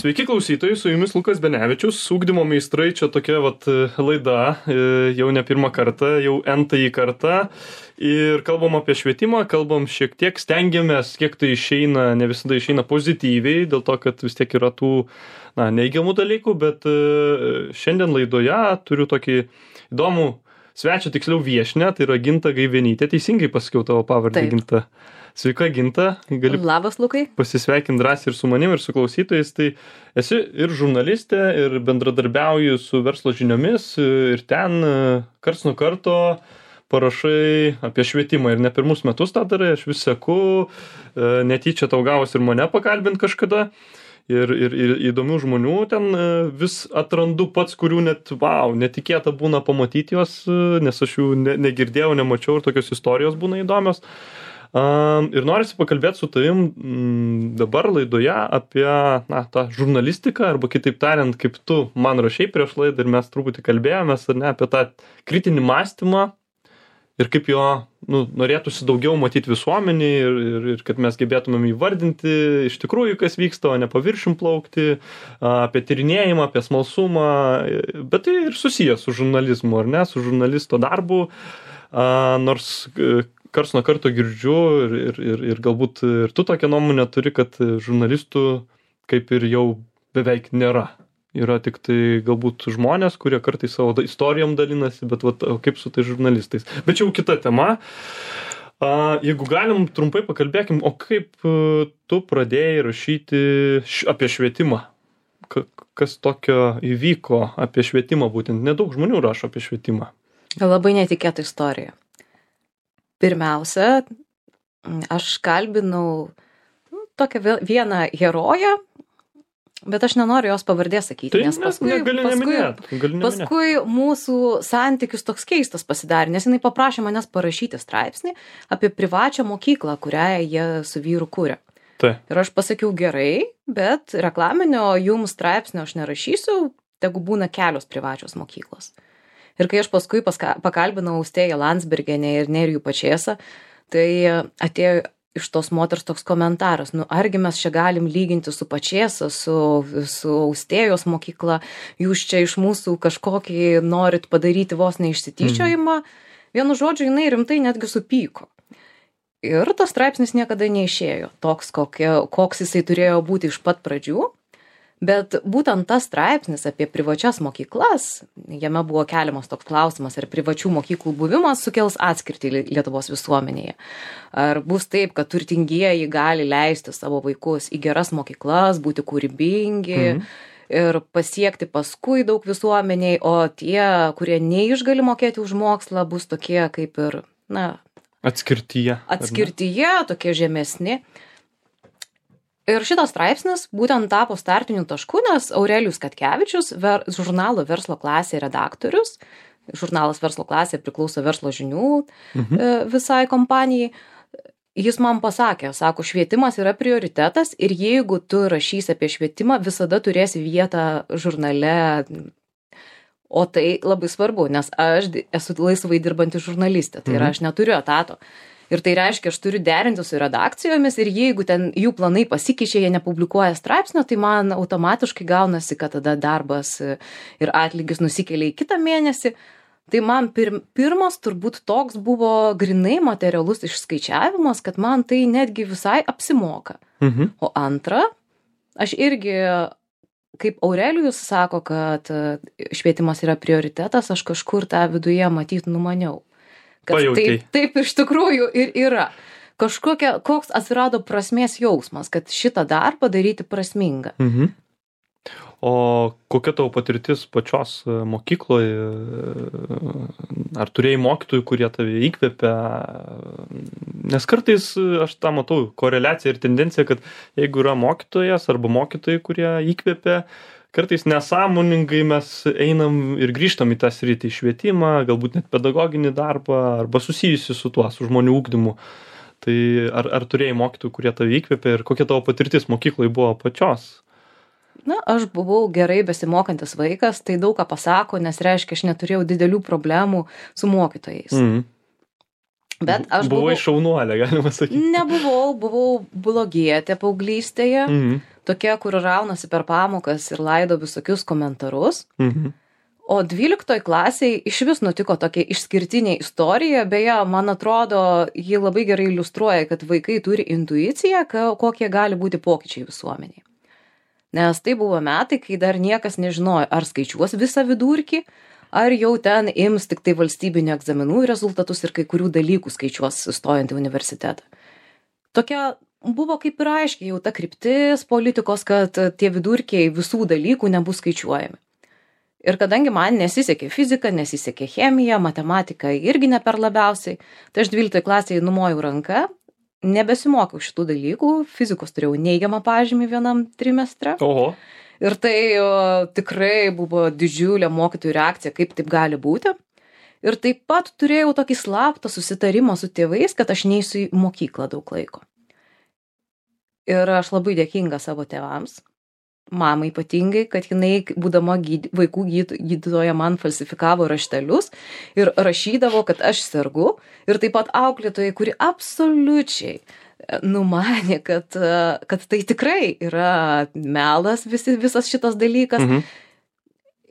Sveiki klausytojai, su jumis Lukas Benevičius, ugdymo meistrai, čia tokia laida, jau ne pirmą kartą, jau n-tąjį kartą ir kalbam apie švietimą, kalbam šiek tiek, stengiamės, kiek tai išeina, ne visada išeina pozityviai, dėl to, kad vis tiek yra tų neigiamų dalykų, bet šiandien laidoje turiu tokį įdomų svečią, tiksliau viešnią, tai yra Ginta Gaivenytė, teisingai pasakiau tavo pavardę, Ginta. Sveika, Ginta. Gali Labas, Lukai. Pasisveikinti drąsiai ir su manim, ir su klausytojais. Tai esi ir žurnalistė, ir bendradarbiauji su verslo žiniomis, ir ten karts nuo karto parašai apie švietimą. Ir ne pirmus metus tą darai, aš vis seku, netyčia tau gavus ir mane pakalbint kažkada. Ir įdomių žmonių ten vis atrandu pats, kurių netikėta būna pamatyti juos, nes aš jų negirdėjau, nemačiau ir tokios istorijos būna įdomios. Ir norisi pakalbėti su tavim dabar laidoje apie tą žurnalistiką, arba kitaip tariant, kaip tu man rašei prieš laidą ir mes truputį kalbėjomės, ar ne, apie tą kritinį mąstymą ir kaip jo norėtųsi daugiau matyti visuomenį ir kad mes gebėtumėm įvardinti iš tikrųjų, kas vyksta, o ne paviršium plaukti, apie tyrinėjimą, apie smalsumą, bet tai ir susijęs su žurnalizmu, ar ne, su žurnalisto darbu, nors karts nuo karto girdžiu ir galbūt ir tu tokią nuomonę turi, kad žurnalistų kaip ir jau beveik nėra. Yra tik tai galbūt žmonės, kurie kartais savo istorijom dalinasi, bet kaip su tai žurnalistais. Bet čia jau kita tema. Jeigu galim, trumpai pakalbėkim, o kaip tu pradėjai rašyti apie švietimą? Kas tokio įvyko apie švietimą būtent? Nedaug žmonių rašo apie švietimą. Labai netikėta istorija. Pirmiausia, aš kalbinau tokią vieną heroję, bet aš nenoriu jos pavardės sakyti, tai nes paskui mūsų santykis toks keistas pasidarė, nes jinai paprašė manęs parašyti straipsnį apie privačią mokyklą, kurią jie su vyru kūrė. Tai. Ir aš pasakiau gerai, bet reklaminio jums straipsnio aš nerašysiu, tegu būna kelios privačios mokyklos. Ir kai aš paskui pakalbinau Austėją Landsbergienę ir Nerijų Pačėsą, tai atėjo iš tos moters toks komentaras, argi mes čia galim lyginti su Pačėsa, su Austėjos mokykla, jūs čia iš mūsų kažkokį norit padaryti vos neišsityčiojimą. Vienu žodžiu, jinai rimtai netgi supyko. Ir tas straipsnis niekada neišėjo, toks, koks jisai turėjo būti iš pat pradžių. Bet būtent tas straipsnis apie privačias mokyklas, jame buvo keliamas toks klausimas, ar privačių mokyklų buvimas sukels atskirtį Lietuvos visuomenėje. Ar bus taip, kad turtingieji gali leisti savo vaikus į geras mokyklas, būti kūrybingi ir pasiekti paskui daug visuomeniai, o tie, kurie neišgali mokėti už mokslą, bus tokie kaip ir, atskirtyje, tokie žemesni. Ir šitas straipsnis būtent tapo startiniu tašku, nes Aurelijus Katkevičius, žurnalo Verslo klasė redaktorius, žurnalas Verslo klasė priklauso Verslo žinių visai kompanijai, jis man pasakė, sako, švietimas yra prioritetas ir jeigu tu rašysi apie švietimą, visada turėsi vietą žurnale, o tai labai svarbu, nes aš esu laisvai dirbanti žurnalistė, tai yra aš neturiu etato. Ir tai reiškia, aš turiu derinti su redakcijomis ir jeigu ten jų planai pasikeičia, jie nepublikuoja straipsnio, tai man automatiškai gaunasi, kad tada darbas ir atlygis nusikelia į kitą mėnesį. Tai man pirmas turbūt toks buvo grinai materialus išskaičiavimas, kad man tai netgi visai apsimoka. O antra, aš irgi, kaip Aurelijus sako, kad švietimas yra prioritetas, aš kažkur tą viduje matyt numaniau. Taip iš tikrųjų ir yra. Koks atsirado prasmės jausmas, kad šitą darbą daryti prasmingą. O kokia tavo patirtis pačios mokykloje? Ar turėjai mokytojų, kurie tave įkvėpia? Nes kartais aš tą matau koreliaciją ir tendenciją, kad jeigu yra mokytojas arba mokytojai, kurie įkvėpia, kartais nesąmoningai mes einam ir grįžtam į tą sritį, švietimą, galbūt net pedagoginį darbą arba susijusi su tuo, su žmonių ugdymu. Tai ar turėjai mokytojų, kurie tave įkvėpė ir kokia tavo patirtis mokykloje buvo pačios? Aš buvau gerai besimokantis vaikas, tai daug ką pasako, nes reiškia, aš neturėjau didelių problemų su mokytojais. Bet aš Buvai šaunuolė, galima sakyti. buvau blogietė paauglystėje, tokia, kur raunasi per pamokas ir laido visokius komentarus. O 12 klasėje iš vis nutiko tokia išskirtinė istorija, beje, man atrodo, ji labai gerai iliustruoja, kad vaikai turi intuiciją, kokie gali būti pokyčiai visuomeniai. Nes tai buvo metai, kai dar niekas nežinojo, ar skaičiuos visą vidurkį, ar jau ten ims tik tai valstybinių egzaminų rezultatus ir kai kurių dalykų skaičiuos stojant į universitetą. Tokia buvo kaip ir aiškiai jau ta kryptis politikos, kad tie vidurkiai visų dalykų nebus skaičiuojami. Ir kadangi man nesisekė fizika, nesisekė chemija, matematika irgi ne per labiausiai, tai aš 12 klasėje numojau ranką, nebesimokiau šitų dalykų, fizikos turėjau neigiamą pažymį vienam trimestre. Oho. Ir tai tikrai buvo didžiulė mokytojų reakcija, kaip taip gali būti. Ir taip pat turėjau tokį slaptą susitarimą su tėvais, kad aš neisiu į mokyklą daug laiko. Ir aš labai dėkinga savo tėvams, mamai ypatingai, kad jinai, būdama vaikų gydytoja, man falsifikavo raštelius ir rašydavo, kad aš sergu. Ir taip pat auklėtojai, kuri absoliučiai numanė, kad tai tikrai yra melas visas šitas dalykas.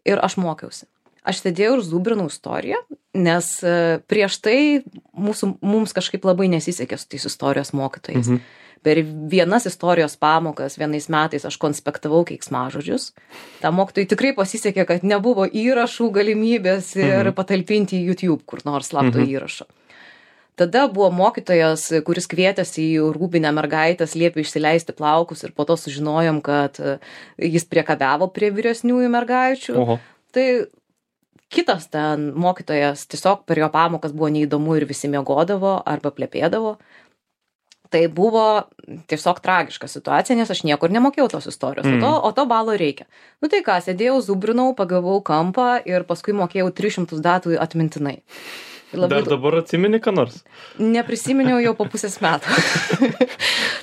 Ir aš mokiausi. Aš sėdėjau ir zubrinau istoriją, nes prieš tai mums kažkaip labai nesisekė su tais istorijos mokytojais. Per vienas istorijos pamokas vienais metais aš konspektavau keiksmažodžius. Ta mokytojai tikrai pasisekė, kad nebuvo įrašų galimybės ir patalpinti į YouTube kur nors slapto įrašo. Tada buvo mokytojas, kuris kvietėsi į rūbinę mergaitės, liepė išsileisti plaukus ir po to sužinojom, kad jis priekabiavo prie vyresniųjų mergaičių. Oho. Tai kitas ten mokytojas tiesiog per jo pamokas buvo neįdomu ir visi miegodavo arba plepėdavo. Tai buvo tiesiog tragiška situacija, nes aš niekur nemokėjau tos istorijos, o to balo reikia. Nu tai ką, sėdėjau, zubrinau, pagavau kampą ir paskui mokėjau 300 datų atmintinai. Dar dabar atsimeni ką nors? Neprisiminiau jau po pusės metų.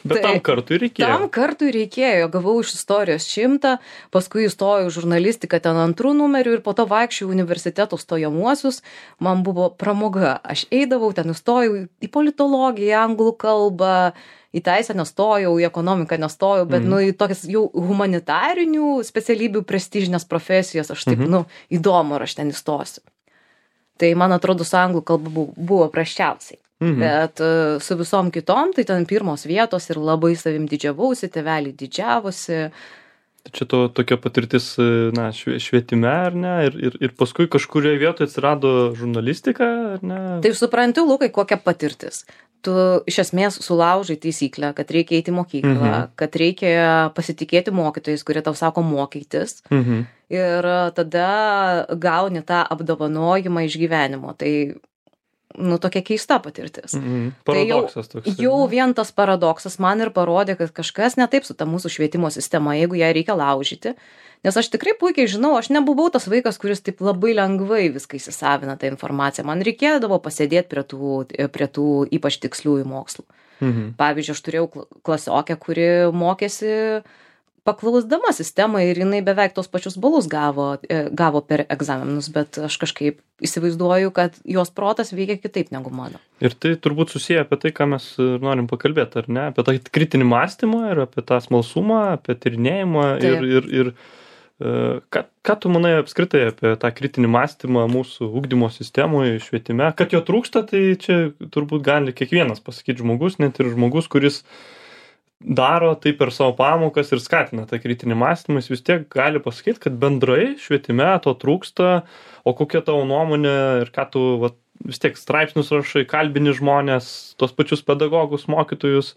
Bet tam kartui reikėjo. Tam kartui reikėjo. Gavau iš istorijos 100, paskui įstojau į žurnalistiką ten 2 numerių ir po to vaikščiau universiteto stojamuosius. Man buvo pramoga. Aš eidavau, ten įstojau į politologiją, anglų kalbą, į teisę nestojau, į ekonomiką nestojau, bet į tokias jau humanitarinių specialybių prestižinės profesijas aš taip, įdomu, ar aš ten įstosiu. Tai, man atrodo, su anglų kalba buvo prasčiausiai. Bet su visom kitom, tai ten pirmos vietos ir labai savim didžiavausi, tėveliai didžiavosi. Čia tokia patirtis švietime, ar ne? Ir paskui kažkurioje vietoje atsirado žurnalistika, ar ne? Tai supranti, Lukai, kokia patirtis. Tu iš esmės sulaužai taisyklę, kad reikia eiti į mokyklą, kad reikia pasitikėti mokytojais, kurie tau sako mokytis. Ir tada gauni tą apdovanojimą iš gyvenimo. Tai, tokia keista patirtis. Paradoksas toks. Tai jau vien tas paradoksas man ir parodė, kad kažkas ne taip su ta mūsų švietimo sistema, jeigu ją reikia laužyti. Nes aš tikrai puikiai žinau, aš nebuvau tas vaikas, kuris taip labai lengvai viską įsisavina tą informaciją. Man reikėdavo pasėdėti prie tų ypač tiksliųjų mokslų. Pavyzdžiui, aš turėjau klasiokę, kuri mokėsi paklausdama sistemą ir jinai beveik tos pačius balus gavo per egzaminus, bet aš kažkaip įsivaizduoju, kad jos protas veikia kitaip negu mano. Ir tai turbūt susiję apie tai, ką mes norim pakalbėti, ar ne? Apie tą kritinį mąstymą ir apie tą smalsumą, apie tyrinėjimą ir ką tu manai apskritai apie tą kritinį mąstymą mūsų ugdymo sistemoje, švietime? Kad jo trūksta, tai čia turbūt gali kiekvienas pasakyti žmogus, net ir žmogus, kuris daro tai per savo pamokas ir skatina tą kritinį mąstymą, jis vis tiek gali pasakyti, kad bendrai švietime to trūksta, o kokia tavo nuomonė ir ką tu vis tiek straipsnius rašai, kalbini žmonės, tos pačius pedagogus, mokytojus,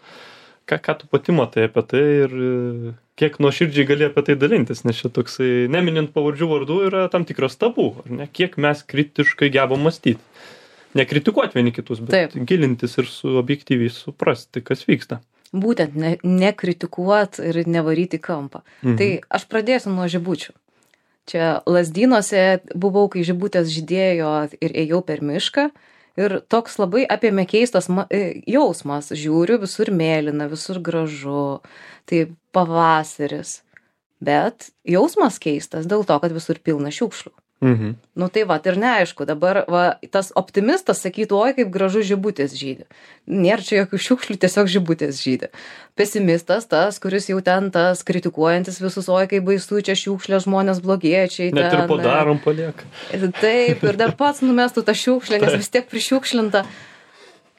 ką tu pati matai apie tai ir kiek nuoširdžiai gali apie tai dalintis, nes čia toksai, neminint pavardžių vardų, yra tam tikras tabu, ar ne? Kiek mes kritiškai gebam mąstyti. Nekritikuoti vieni kitus, bet gilintis ir objektyviai suprasti, kas vyksta. Būtent nekritikuot ir nevaryti kampą. Tai aš pradėsiu nuo žibučių. Čia Lazdynuose buvau, kai žibutės žydėjo ir ėjau per mišką. Ir toks labai apėmė keistas jausmas. Žiūriu, visur mėlyna, visur gražu. Tai pavasaris. Bet jausmas keistas dėl to, kad visur pilna šiukšlių. Nu tai va, ir neaišku, dabar va, tas optimistas sakytų, oi kaip gražu žibutės žydi. Nėra čia jokių šiukšlių, tiesiog žibutės žydi. Pesimistas tas, kuris jau ten tas kritikuojantis visus, oi kaip baisu, čia šiukšlė, žmonės blogiečiai. Net ir padarom palieka. Taip, ir dar pats numestų tą šiukšlę, nes vis tiek prišiukšlinta.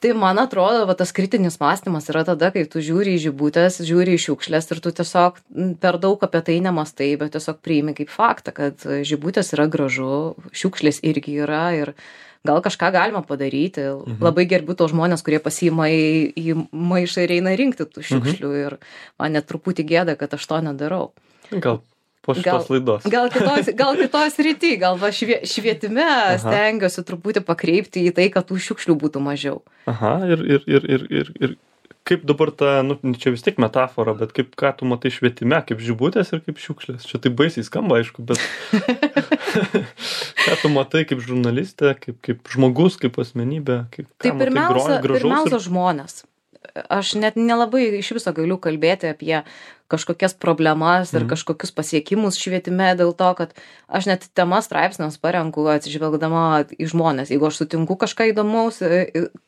Tai man atrodo, va, tas kritinis mąstymas yra tada, kai tu žiūri į žibutės, žiūri į šiukšlės ir tu tiesiog per daug apie tai nemastai, bet tiesiog priimi kaip faktą, kad žibutės yra gražu, šiukšlės irgi yra ir gal kažką galima padaryti. Labai gerbiu tos žmonės, kurie pasiima į maišą ir eina rinkti tų šiukšlių ir man net truputį gėda, kad aš to nedarau. Gal po šitos laidos. Gal kitoj srity, gal va švietime stengiuosi truputį pakreipti į tai, kad tų šiukšlių būtų mažiau. Aha, ir kaip dabar ta, nu, čia vis tiek metafora, bet kaip, ką tu matai švietime, kaip žibutės ir kaip šiukšlės. Čia tai baisiai skamba, aišku, bet ką tu matai kaip žurnalistė, kaip žmogus, kaip asmenybė, kaip tai pirmiausia žmonės. Aš net nelabai iš viso galiu kalbėti apie kažkokias problemas ir kažkokius pasiekimus švietime dėl to, kad aš net temas straipsniams parenku atsižvelgdama į žmonės. Jeigu aš sutinku kažką įdomaus,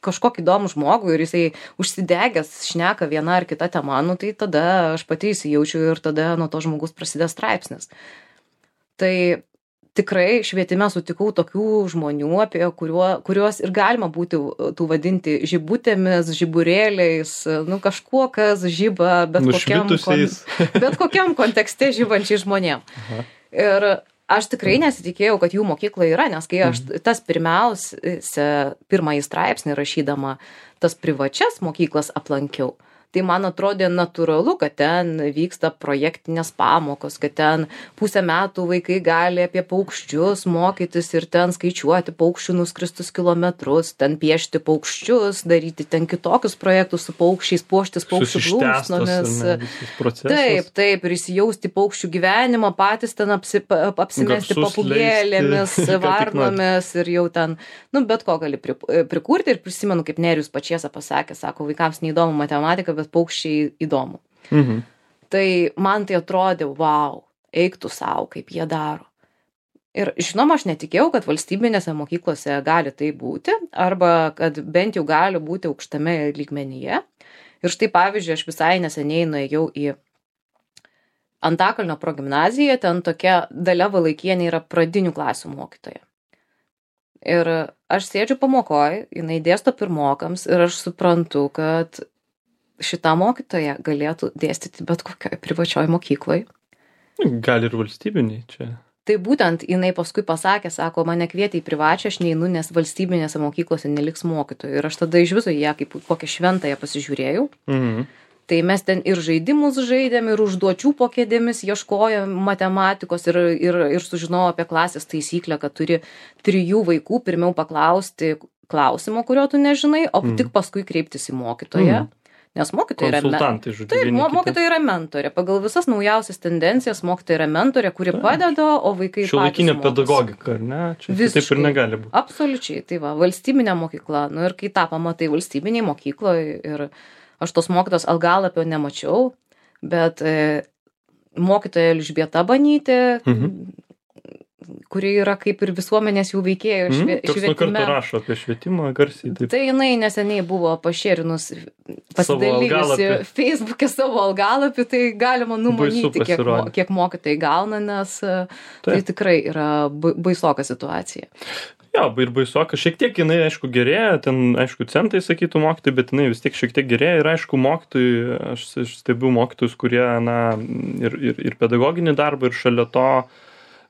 kažkokį įdomų žmogų ir jisai užsidegęs šneka vieną ar kitą temą, nu tai tada aš pati įsijaučiu ir tada nuo to žmogus prasidės straipsnis. Tai tikrai švietime sutikau tokių žmonių, apie kuriuos ir galima būti tų vadinti žibutėmis, žiburėliais, nu kažkuo, kas žiba bet kokiam kontekste žibančiai žmonėm. Ir aš tikrai nesitikėjau, kad jų mokykla yra, nes kai aš tas pirmąjį straipsnį rašydama tas privačias mokyklas aplankiau, tai man atrodė natūralu, kad ten vyksta projektinės pamokos, kad ten pusę metų vaikai gali apie paukščius mokytis ir ten skaičiuoti paukščių nuskristus kilometrus, ten piešti paukščius, daryti ten kitokius projektus su paukščiais, puoštis paukščių plunksnomis. Taip, ir įsijausti paukščių gyvenimą, patys ten apsimesti papūgėlėmis, varnomis ir jau ten, nu, bet ko gali prikurti. Ir prisimenu, kaip Nerijus Pačiesa pasakė, sako, vaikams neįdomu matematika, bet paukščiai įdomu. Tai man tai atrodė, wow, eik tu savo, kaip jie daro. Ir žinoma, aš netikėjau, kad valstybinėse mokyklose gali tai būti, arba kad bent jau gali būti aukštame lygmenyje. Ir štai pavyzdžiui, aš visai neseniai nuėjau į Antakalnio progimnaziją, ten tokia Dalia Valaikienė yra pradinių klasių mokytoja. Ir aš sėdžiu pamokoj, jinai dėsto pirmokams ir aš suprantu, kad šita mokytoja galėtų dėstyti bet kokioj privačioj mokykloj. Gal ir valstybiniai čia. Tai būtent jinai paskui pasakė, sako, mane kvietė į privačią, aš neinu, nes valstybinėse mokyklose neliks mokytojų. Ir aš tada iš viso ją kaip kokią šventąją pasižiūrėjau. Tai mes ten ir žaidimus žaidėm, ir užduočių po kėdėmis ieškojom matematikos ir sužinojau apie klasės taisyklę, kad turi 3 vaikų pirmiau paklausti klausimo, kurio tu nežinai, o tik paskui kreiptis į mokytoją. Nes mokytoja yra mentorė. Pagal visas naujausias tendencijas mokytoja yra mentorė, kuri padeda, o vaikai patys mokosi. Šiuolaikinė pedagogika, ar ne? Čia taip ir negali būti. Absoliučiai, tai va, valstybinė mokykla. Nu ir kai tą pamatai valstybiniai mokykloje ir aš tos mokytos algalapio nemačiau, bet mokytoja Elžbieta Banytė, kuri yra kaip ir visuomenės jų veikėjo švietime. Kas nuo karto rašo apie švietimą garsiai. Taip. Tai jinai neseniai buvo pašėrinus, pasidalijusi Facebook'e savo algalapį, tai galima numanyti, kiek mokytojai gauna, nes tai tikrai yra baisoka situacija. Jo, ir baisoka. Šiek tiek jinai, aišku, gerėja, ten, aišku, centai sakytų mokytojai, bet jinai vis tiek šiek tiek gerėja ir, aišku, mokytojai, aš stebiu mokytojus, kurie, na, ir pedagoginį darbą, ir šalia to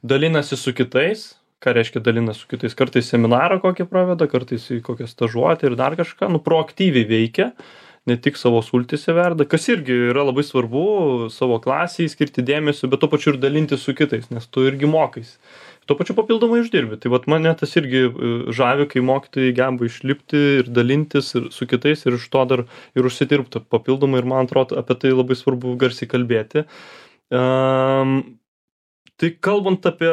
dalinasi su kitais. Ką reiškia dalinasi su kitais? Kartais seminarą kokį praveda, kartais į kokią stažuotę ir dar kažką, nu, proaktyviai veikia, ne tik savo sultyse verda, kas irgi yra labai svarbu, savo klasiai skirti dėmesio, bet to pačiu ir dalinti su kitais, nes tu irgi mokais. Tuo pačiu papildomai uždirbi. Tai vat mane tas irgi žavi, kai mokytojai geba išlipti ir dalintis ir su kitais ir iš to dar ir užsidirbti papildomai ir man atrodo apie tai labai svarbu garsiai kalbėti. Tai kalbant apie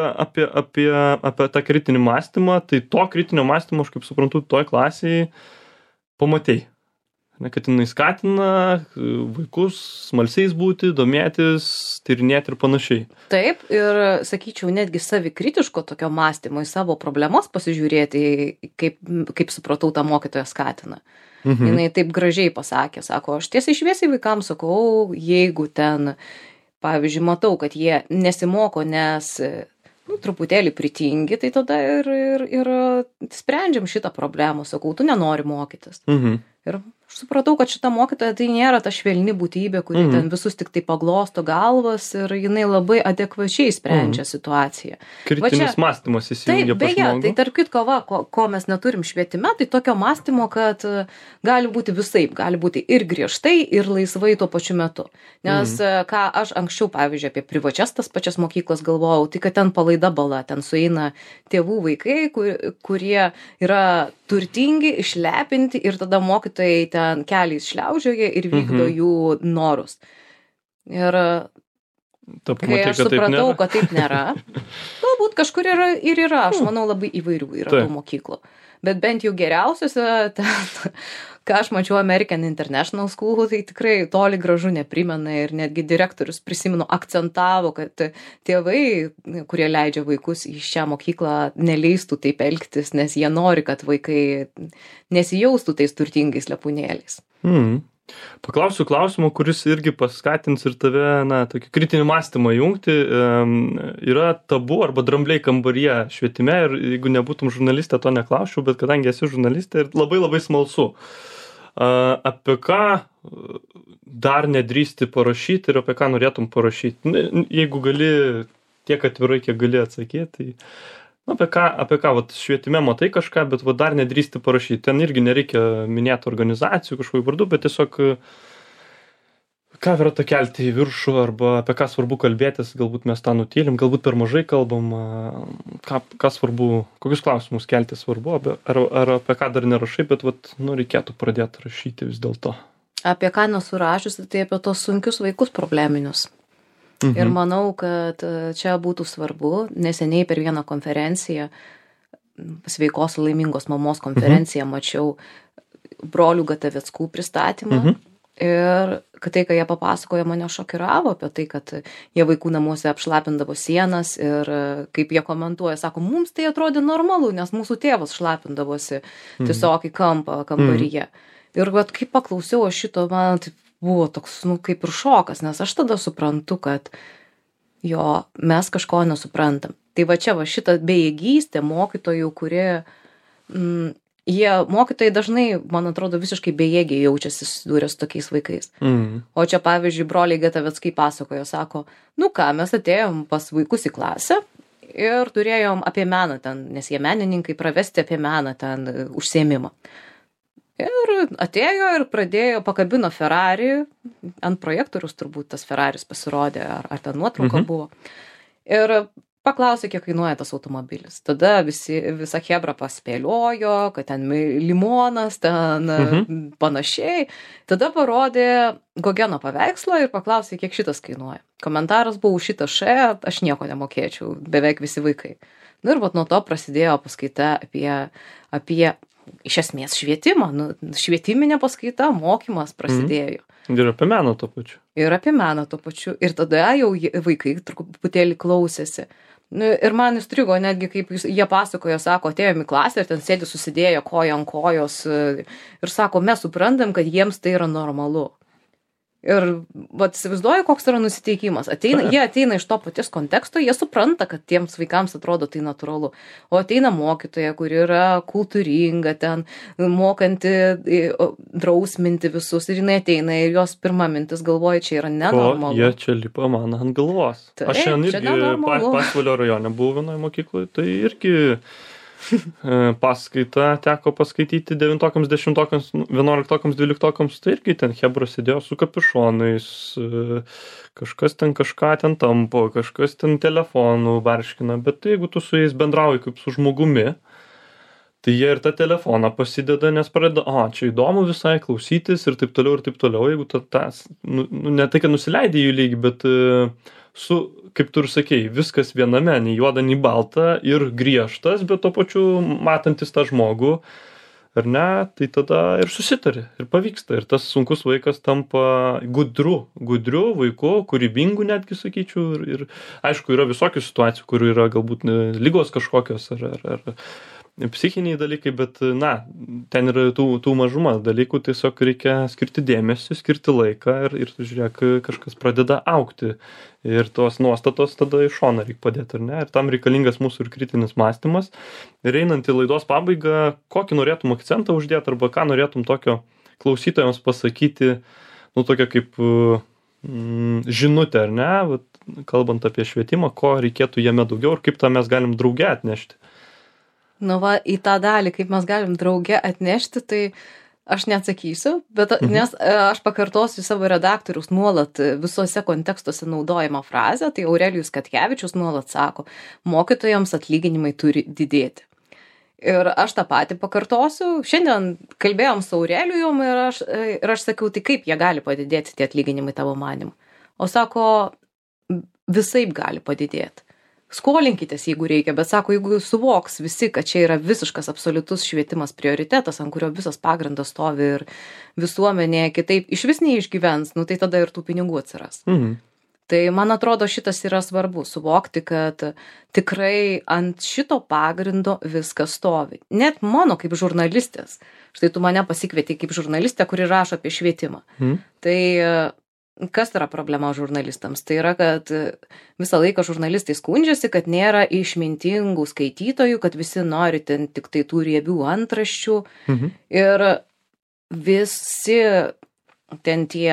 tą kritinį mąstymą, tai to kritinio mąstymo, aš kaip suprantu, toj klasėje pamatei. kad jinai skatina vaikus smalsiais būti, domėtis, tyrinėti ir panašiai. Taip, ir sakyčiau, netgi savikritiško tokio mąstymo į savo problemas pasižiūrėti, kaip supratau, tą mokytoją skatina. Jinai taip gražiai pasakė, sako, aš tiesiai šviesiai vaikams sakau, jeigu ten, pavyzdžiui, matau, kad jie nesimoko, nes truputėlį pritingi, tai tada ir sprendžiam šitą problemą, sakau, tu nenori mokytis. Ir aš supratau, kad šita mokytoja tai nėra ta švelni būtybė, kuri ten visus tik tai paglosto galvas ir jinai labai adekvačiai sprendžia situaciją. Kritinis mąstymas įsijungia pas žmogų. Tai tarp kitko, ko mes neturim švietime, tai tokio mąstymo, kad gali būti visaip, gali būti ir griežtai, ir laisvai tuo pačiu metu. Nes ką aš anksčiau, pavyzdžiui, apie privačias tas pačias mokyklas galvojau, tai kad ten palaida bala, ten sueina tėvų vaikai, kurie yra turtingi, išlepinti ir tada mokytojai ten keliais šliaužioja ir vykdo jų norus. Ir kai aš supratau, kad taip nėra, galbūt kažkur yra, aš manau, labai įvairių yra tų mokyklų. Bet bent jau geriausiose, ką aš mačiau American International School, tai tikrai toli gražu neprimena ir netgi direktorius, prisimenu, akcentavo, kad tėvai, kurie leidžia vaikus į šią mokyklą, neleistų taip elgtis, nes jie nori, kad vaikai nesijaustų tais turtingais lepūnėliais. Paklausiu klausimą, kuris irgi paskatins ir tave, tokį kritinį mąstymą jungti. Yra tabu arba drambliai kambaryje švietime ir jeigu nebūtum žurnalistė, to neklausčiau, bet kadangi esi žurnalistė ir labai labai smalsu. Apie ką dar nedrįsti parašyti ir apie ką norėtum parašyti? Jeigu gali tiek atvirai, kiek gali atsakyti, tai apie ką švietime matai kažką, bet dar nedrįsti parašyti. Ten irgi nereikia minėti organizacijų kažkokių vardų, bet tiesiog ką verta kelti į viršų arba apie ką svarbu kalbėtis, galbūt mes tą nutylim, galbūt per mažai kalbam, ką svarbu, kokius klausimus kelti svarbu, ar apie ką dar nerašai, bet reikėtų pradėti rašyti vis dėlto. Apie ką nesurašusi, tai apie tos sunkius vaikus probleminius. Ir manau, kad čia būtų svarbu, neseniai per vieną konferenciją, sveikos laimingos mamos konferenciją, mačiau brolių Gataveckų pristatymą. Ir kad tai, ką jie papasakojo, mane šokiravo apie tai, kad jie vaikų namuose apšlapindavo sienas ir kaip jie komentuoja, sako, mums tai atrodė normalu, nes mūsų tėvas šlapindavosi tiesiog į kambaryje. Ir kai paklausiau aš šito, man taip buvo toks, kaip ir šokas, nes aš tada suprantu, kad mes kažko nesuprantam. Tai čia šita bejėgystė mokytojų, kurie, mokytojai dažnai, man atrodo, visiškai bejėgiai jaučiasi susidūrę su tokiais vaikais. O čia, pavyzdžiui, broliai Gataveckai pasakojo, sako, mes atėjom pas vaikus į klasę ir turėjom apie meną ten, nes jie menininkai, pravesti apie meną ten užsiėmimą. Ir atėjo ir pakabino Ferrari, ant projektorius turbūt tas Ferraris pasirodė, ar ten nuotrauka buvo. Ir paklausė, kiek kainuoja tas automobilis. Tada visa chebra paspėliojo, kad ten limonas, ten panašiai. Tada parodė Gogeno paveikslą ir paklausė, kiek šitas kainuoja. Komentaras buvo šitas aš nieko nemokėčiau, beveik visi vaikai. Ir nuo to prasidėjo paskaita apie iš esmės švietimą, švietiminė paskaita, mokymas prasidėjo. Ir apie meną tuo pačiu. Ir tada jau vaikai truputėlį klausėsi. Ir man įstrigo netgi, kaip jie pasakojo, sako, atėjom į klasę ir ten sėdi susidėjo koja ant kojos ir sako, mes suprantam, kad jiems tai yra normalu. Ir įsivaizduoju, koks yra nusiteikimas. Jie ateina iš to paties konteksto, jie supranta, kad tiems vaikams atrodo tai natūralu. O ateina mokytoja, kuri yra kultūringa, ten mokanti drausminti visus. Ir jinai ateina ir jos pirma mintis galvoja, čia yra nenormalu. Jie čia lipa man ant galvos. Aš šiandien irgi Pasvalio rajone buvau vienoje mokykloje, tai irgi paskaitą teko paskaityti 9-okams, 10-okams, 11-okams, 12-okams, tai irgi ten chebra sėdėjo su kapišonais, kažkas ten kažką ten tampo, kažkas ten telefonų barškina, bet jeigu tu su jais bendrauji kaip su žmogumi, tai jie ir tą telefoną pasideda, nes pradeda, čia įdomu visai klausytis ir taip toliau, jeigu ne tai, kad nusileidai jų lygį, bet kaip tu ir sakei, viskas viename, nei juoda, nei balta ir griežtas, bet to pačiu matantis tą žmogų, ar ne, tai tada ir susitari, ir pavyksta. Ir tas sunkus vaikas tampa gudriu vaiku, kūrybingu netgi sakyčiau. Ir aišku, yra visokių situacijų, kur yra galbūt ligos kažkokios ar psichiniai dalykai, bet, na, ten yra tų mažuma dalykų, tiesiog reikia skirti dėmesį, skirti laiką ir žiūrėk, kažkas pradeda augti. Ir tos nuostatos tada iš šono reikia padėti, ar ne? Ir tam reikalingas mūsų ir kritinis mąstymas. Ir einant į laidos pabaigą, kokį norėtum akcentą uždėti arba ką norėtum tokio klausytojams pasakyti, nu, tokia kaip žinutė, ar ne? Vat, kalbant apie švietimą, ko reikėtų jame daugiau ir kaip tą mes galim drauge atnešti. Nu va, į tą dalį, kaip mes galim drauge atnešti, tai aš neatsakysiu, bet nes aš pakartosiu savo redaktorius nuolat visuose kontekstuose naudojamą frazę, tai Aurelijus Katkevičius nuolat sako, mokytojams atlyginimai turi didėti. Ir aš tą patį pakartosiu. Šiandien kalbėjom su Aurelijum ir aš sakiau, tai kaip jie gali padidėti tie atlyginimai tavo manimu. O sako, visaip gali padidėti. Skolinkitės, jeigu reikia, bet sako, jeigu suvoks visi, kad čia yra visiškas absoliutus švietimas prioritetas, ant kurio visas pagrindas stovi ir visuomenė kitaip iš vis neišgyvens, nu tai tada ir tų pinigų atsiras. Tai man atrodo šitas yra svarbu, suvokti, kad tikrai ant šito pagrindo viskas stovi. Net mano kaip žurnalistės, štai tu mane pasikvietei kaip žurnalistę, kuri rašo apie švietimą. Tai kas yra problema žurnalistams? Tai yra, kad visą laiką žurnalistai skundžiasi, kad nėra išmintingų skaitytojų, kad visi nori ten tik tai tų riebių antraščių. Ir visi ten tie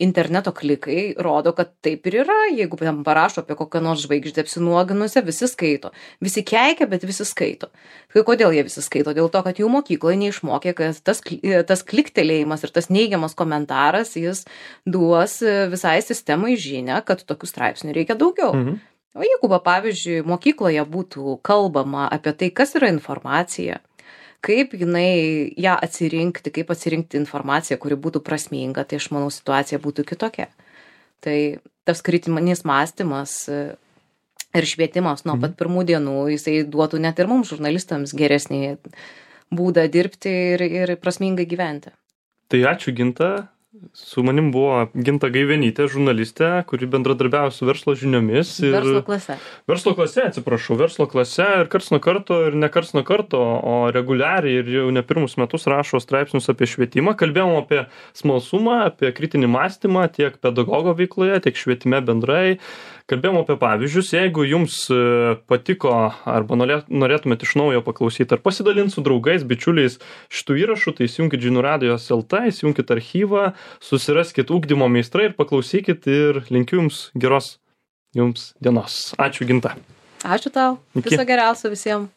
interneto klikai rodo, kad taip ir yra. Jeigu ten parašo apie kokią nors žvaigždę apsinuoginusią, visi skaito. Visi keikia, bet visi skaito. Tai kodėl jie visi skaito? Dėl to, kad jų mokykloje neišmokė, kad tas kliktelėjimas ir tas neigiamas komentaras, jis duos visai sistemai žinią, kad tokių straipsnių reikia daugiau. O jeigu, pavyzdžiui, mokykloje būtų kalbama apie tai, kas yra informacija, kaip jinai ją atsirinkti, kaip atsirinkti informaciją, kuri būtų prasminga, tai aš manau situacija būtų kitokia. Tai tas kritinis mąstymas ir švietimas nuo pat pirmų dienų, jisai duotų net ir mums žurnalistams geresnį būdą dirbti ir prasmingai gyventi. Tai ačiū, Ginta. Su manim buvo Ginta Gaivenytė, žurnalistė, kuri bendradarbiavo su Verslo žiniomis. Verslo klase. Verslo klase ir karts nuo karto ir ne karts nuo karto, o reguliariai ir jau ne pirmus metus rašo straipsnius apie švietimą. Kalbėjom apie smalsumą, apie kritinį mąstymą tiek pedagogo veikloje, tiek švietime bendrai. Kalbėjom apie pavyzdžius. Jeigu jums patiko arba norėtumėte iš naujo paklausyti ar pasidalinti su draugais, bičiuliais šitų įrašų, tai įsijunkit Žinių radijos LT, įsijunkit archyvą, susiraskit ugdymo meistrai ir paklausykit ir linkiu jums geros jums dienos. Ačiū, Ginta. Ačiū tau. Viso geriausio visiems.